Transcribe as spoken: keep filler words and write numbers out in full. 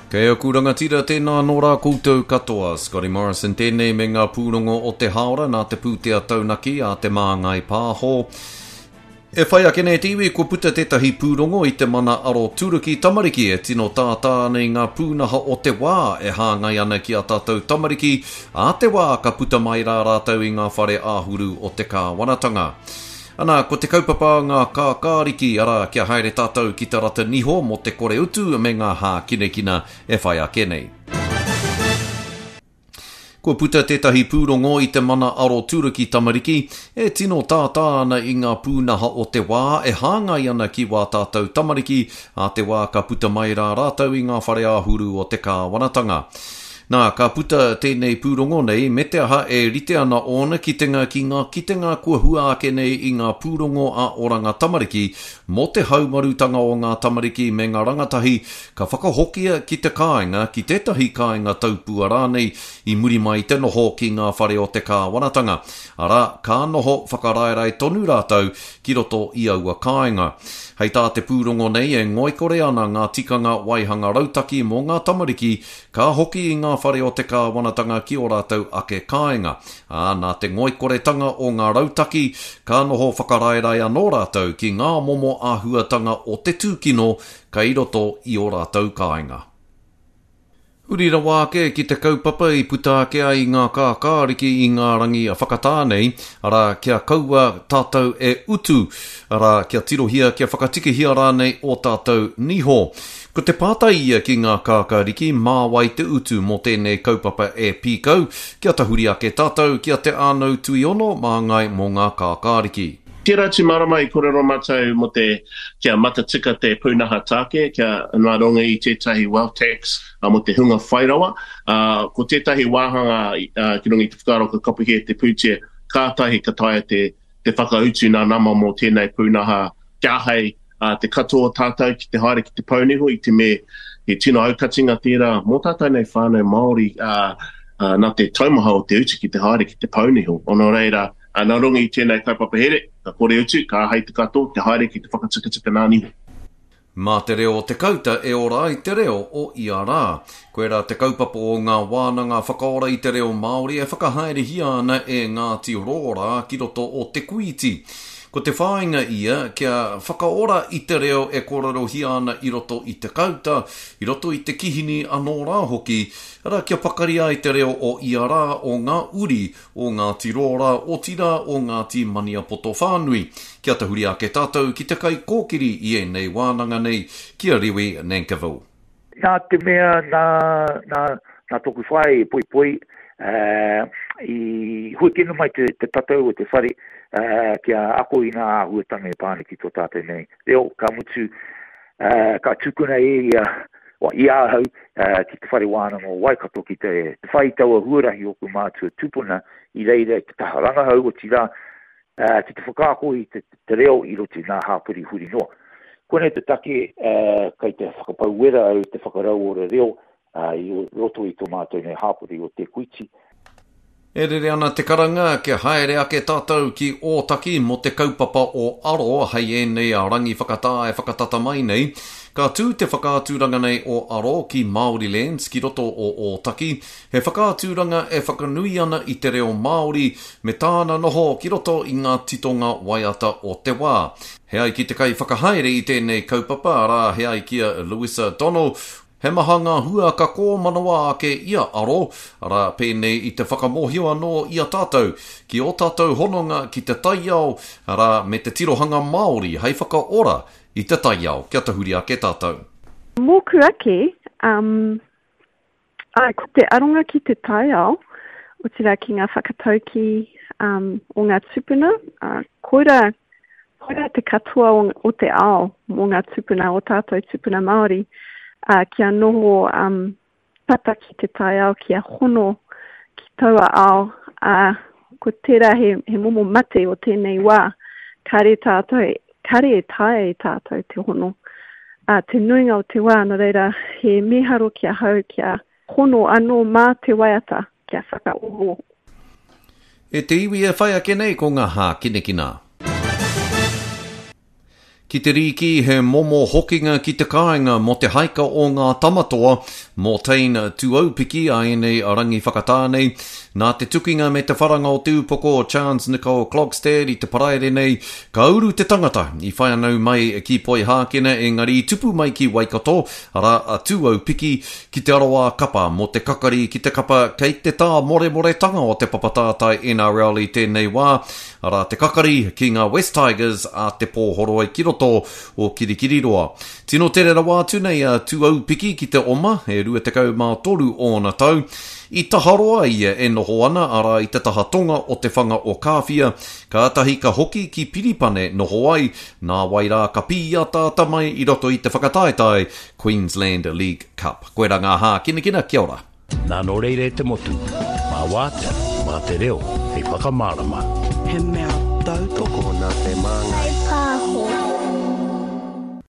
Kei aku rangatira tēnā nō rā koutou katoa. Scotty Morrison tēnei me ngā pūrongo o te haora nā te pūtea taunaki a Te Māngai Pāho. E whai ake nei te iwi, kua puta tētahi pūrongo i te mana aroturuki tamariki e tino tātā ana i ngā pūnaha o te wā e hāngai ana ki a tātou tamariki ā te wā ka puta mai rā rātou i ngā whare āhuru o te kāwanatanga. Ana, ko te kaupapa a ngā kākāriki, arā, kia haere tātou ki te rata niho mō te kore utu me ngā hākinakina e whai ake nei. Kua puta tētahi pūrongo i te mana aroturuki tamariki e tino tātā ana i ngā pūnaha o te wā e hāngai ana ki wā tātou tamariki ā te wā ka puta mai rā rātou i ngā whare āhuru o te kāwanatanga. Nā, ka puta tēnei pūrongo nei, me te aha e rite ana ōna kitenga ki ngā kitenga kua hua ake nei i ngā pūrongo a Oranga Tamariki mō te haumarutanga o ngā tamariki me ngā rangatahi ka whakahokia ki te kāinga, ki tētahi kāinga taupua rānei i muri mai i te noho ki ngā whare o te kāwanatanga. Arā, ka noho whakaraerae tonu rātou ki roto i aua kāinga. Hei tā te pūrongo nei e ngoikore ana ngā tikanga waihanga rautaki mō ngā tamariki ka hoki i ngā whare o te kāwanatanga ki ō rātou ake kāinga. Ā, nā te ngoikoretanga o ngā rautaki, ka noho whakaraerae anō rātou ki ngā momo āhuatanga o te tūkino kei roto i ō rātou kāinga. Huri rawa ake ki te kaupapa i puta ake ai i ngā kākāriki i ngā rangi whakatā nei, arā, kia kaua tātou e utu, arā, kia tirohia, kia whakatikahia rānei ō tātou niho. Ko te pātai ia ki ngā kākāriki, mā wai te utu mō tēnei kaupapa e pīkau, kia tahuri ake tātou ki a Te Ānau Tuiono māngai mō ngā kākāriki. Tērā atu marama i kōrero mātou mō te kia matatika te pūnaha tāke, kia nā runga i tētahi wealth tax mō te hunga whairawa. Ko tētahi wāhanga ki runga i te whakaaro ka kapohia te pūtea, kātahi ka taea te, te whakautu nā nama mō tēnei pūnaha kia āhei te katoa o tātou ki te haere ki te pouniho i te mea he tino aukatinga tērā mō tātou nei whānau Māori nā te taumaha o te utu ki te haere ki te pouniho. Nō reira, nā runga i tēnei kaupapa here, ka kore utu, ka āhei te katoa te haere ki te whakatikatika nā niho. Mā te reo o te kauta e ora ai te reo o ia rā. Koirā te kaupapa o ngā wānanga whakaora i te reo Māori e whakahaerehia ana e Ngāti Rōrā ki roto o Te Kūiti. Ko te whāinga ia kia whakaora i te reo e kōrerohia ana i roto i te kauta, i roto i te kihini anō rā hoki, arā kia pakari ai te reo o ia rā o ngā uri o Ngāti Rōrā, otirā o Ngāti Maniapoto whānui. Kia tahuri ake tātou ki te kaikōkiri i ēnei wānanga nei, ki a Rewi Nankivell. Nā te mea nā, nā, nā tōku whaea i poipoi, uh, i huakina mai te, te tatau o te whare uh, kia ako i ngā āhuatanga e pā ana ki tō tātou nei reo, ka mutu, uh, ka tukuna e ia, i ahau uh, ki te whare wānanga o Waikato ki te, te whai taua huarahi o ku mātua tupuna i reira i te taha rangahau, otirā, uh, ki te whakaako i te, te reo i roto i ngā hāpori huri noa. Koinei te take uh, kei te whakapau wera au te whakarauora reo uh, i roto i tō mātou nei hāpori o Te Kuiti. E rere ana te karanga kia haere ake tātou ki Ōtaki mō te kaupapa o Aro hei ēnei a rangi whakatā e whakatata mai nei. Ka tū te whakaaturanga nei o Aro ki Māorilands ki roto o Ōtaki, he whakaaturanga e whakanui ana i te reo Māori me tāna noho ki roto i ngā titonga waiata o te wā. He ai ki te kaiwhakahaere i tēnei kaupapa, arā, he ai ki a Louisa Donnell, He maha ngā hua ka kōmanawa ake i a Aro, arā, pēnei i te whakamōhio anō i a tātou ki ō tātou hononga ki te taiao, arā, me te tirohanga Māori hei whakaora i te taiao. Kia tahuri ake tātou. Mōku ake, um, ai, ko te aronga ki te taiao, otirā ki ngā whakataukī um, o ngā tūpuna, uh, koira, koira te katoa o, o te ao mō ngā tūpuna, o tātou tūpuna Māori, uh, kia noho um, tata ki te taiao, kia hono ki taua ao, uh, ko tērā he, he momo mate o tēnei wā, kāre tātou, kāre e taea e tātou te hono. Uh, te nuinga o te wā, nō reira, he miharo ki ahau, kia hono anō mā te waiata, kia whakaoho. E te iwi e whai ake nei ko ngā hākinakina. Ki te rīki he momo hokinga ki te kāinga mō te haika o ngā tamatoa, mō Tane Tuaupiki a ēnei rangi whakatā nei. Nā te tukinga me te wharanga o te upoko o Chance Nicole Klogstad i te paraire nei, ka uru te tangata i whānau mai ki Poihākena engari i tupu mai ki Waikato, arā a Tuaupiki, ki te aroā kapa mō te kakari ki te kapa kei te tāmoremoretanga o te papatātai N R L i tēnei wā, arā te kakari ki ngā West Tigers a te Pōhoroi ki roto o Kirikiriroa. Tino tere rawa atu nei a Tuaupiki ki te oma, e rua tekau mā toru ōna tau. I taharoa ia e noho ana, arā i te taha tonga o te whanga o Kāwhia, kātahi ka hoki ki Piripane noho ai, nā wai rā ka pīataata mai i roto i te whakataetae Queensland League Cup. Koe rā ngā hākinakina, kia ora. Nā nō reira e te motu, mā wātea, mā te reo, hei whakamārama. He mea tautoko nā te māngai.